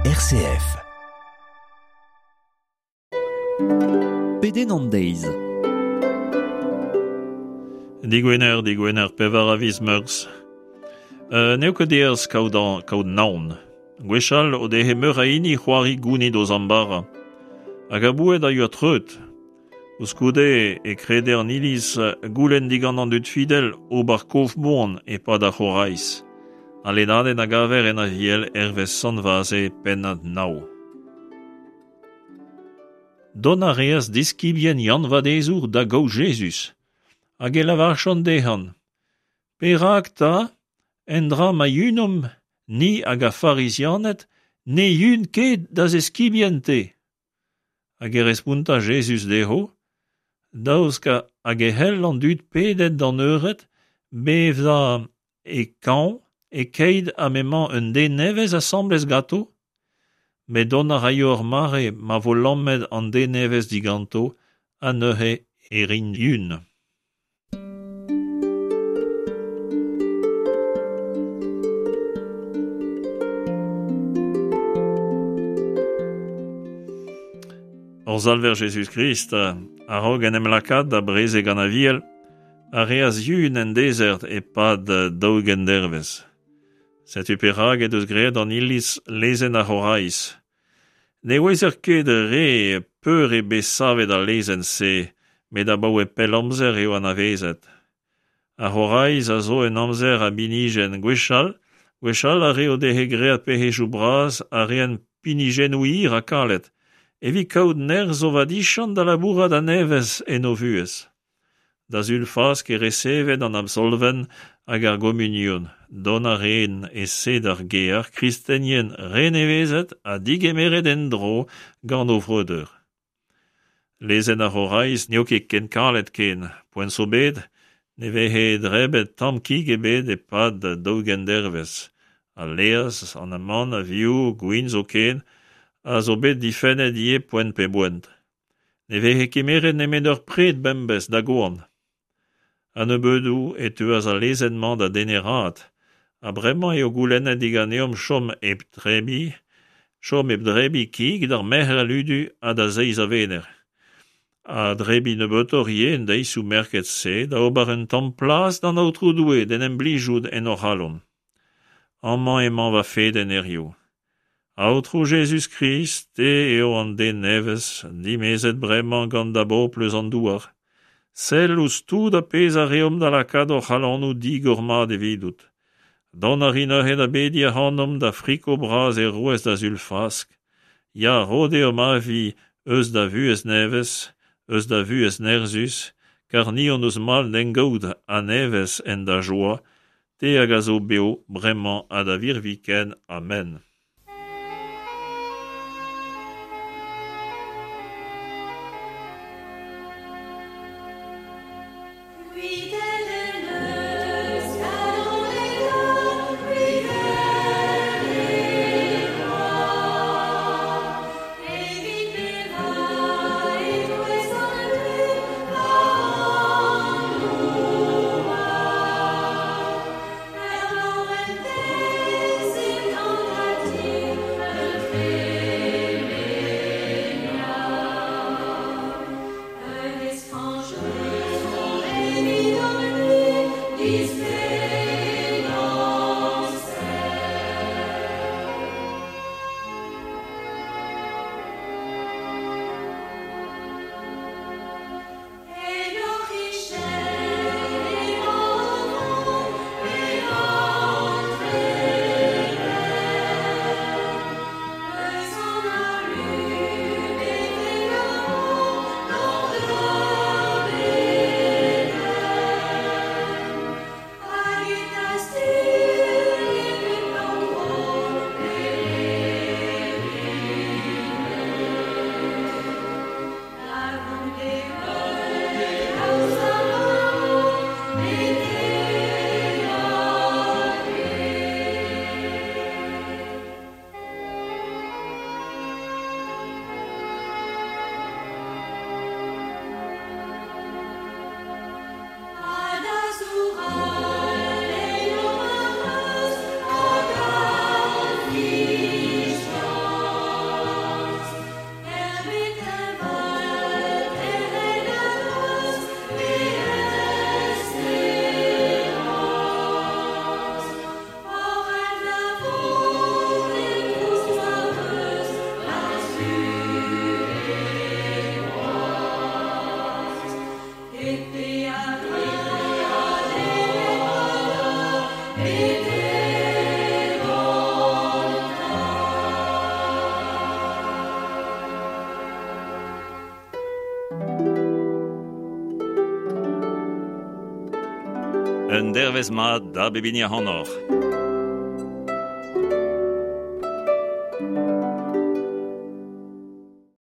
RCF. Pedenn an deiz. Digwener, digwener, pevar a viz Meurzh. N'eo ket aes kaout, an, kaout naon. Gwechall o dehe meur a hini c'hoari gounit o zambara. Hag a boued a yoa treut. Koulskoude e krede an Iliz goulenn digant an dud fidel ober kof moan e-pad ar c'horaiz. Al lennadenn a gaver en Aviel hervez Sant Vaze pennad nav. Dont a reas diskibien Yann Vadezour da gaout Jezuz, hag e lavarchont dezhan: Perak 'ta, endra ma yunomp, ni hag ar Farizianed, ne yun ket da zeskibien-te? Hag e respontas Jezuz dezho, Daoust hag e c'hell an dud pedet d'an eured bevañ e kañv e-keit ha m'emañ un den nevez asambles ganto? Met dont a raio ur mare ma vo lammet an den nevez diganto ha neuze e rint yun. Hor Salver Jezuz-Krist, a-raok en em lakaat da brezeg an Aviel, a reas yun en dezert e-pad 40 dervezh. Setu perak he deus graet an Iliz lezenn ar C'horaiz. Ne ouezer ket re peur eo bet savet al lezenn-se, met abaoe pell amzer eo anavezet. Ar c'horaiz a zo un amzer a binijenn gwechall, gwechall ar re o dehe graet pec'hedoù bras a raent pinijennoù hir ha kalet, evit kaout nerzh o vadiziant da labourat a-nevez en o vuhez. Da Sul Fask e reseved an absolvenn hag ar gomunion. Dont a raent e-se d'ar gêr kristenien renevezet ha digemeret en-dro gant o vreudeur. Lezenn ar C'horaiz n'eo ket ken kalet ken. Poent zo bet ne veze drebet tamm kig ebet e-pad 40 dervezh. Al laezh, an amann, ar vioù, gwin zoken, a zo bet difennet ivez poent pe boent. Ne veze kemeret nemet ur pred bemdez da goan. A-nebeudoù e teuas al lezenn-mañ da deneraat ha bremañ eo goulennet diganeomp chom hep drebiñ, chom hep drebiñ kig d'ar Merc'her ludu ha da zeiz a Wener. Ha drebiñ nebeutoc'h ivez en deizioù merket-se da ober un tamm plas d'an Aotrou Doue d'en em blijout en hor c'halon. Amañ emañ va fedenn hiziv. Aotrou Jezuz-Krist, te eo an den nevez, dimezet bremañ gant da bobl eus an douar. Sell ouzh tout ar pezh a reomp da lakaat hor c'halonoù digor-mat evidout. Dont a ri neuze da bediñ ac'hanomp da friko bras e roez da Sul Fask. Ya, ro deomp avi eus da vuhez nevez, eus da vuhez nerzhus, kar ni hon eus mall d'en gaout a-nevez en da joa, te hag a zo bev bremañ ha da virviken. Amen. Un dervezh mat da bep hini ac'hanoc'h.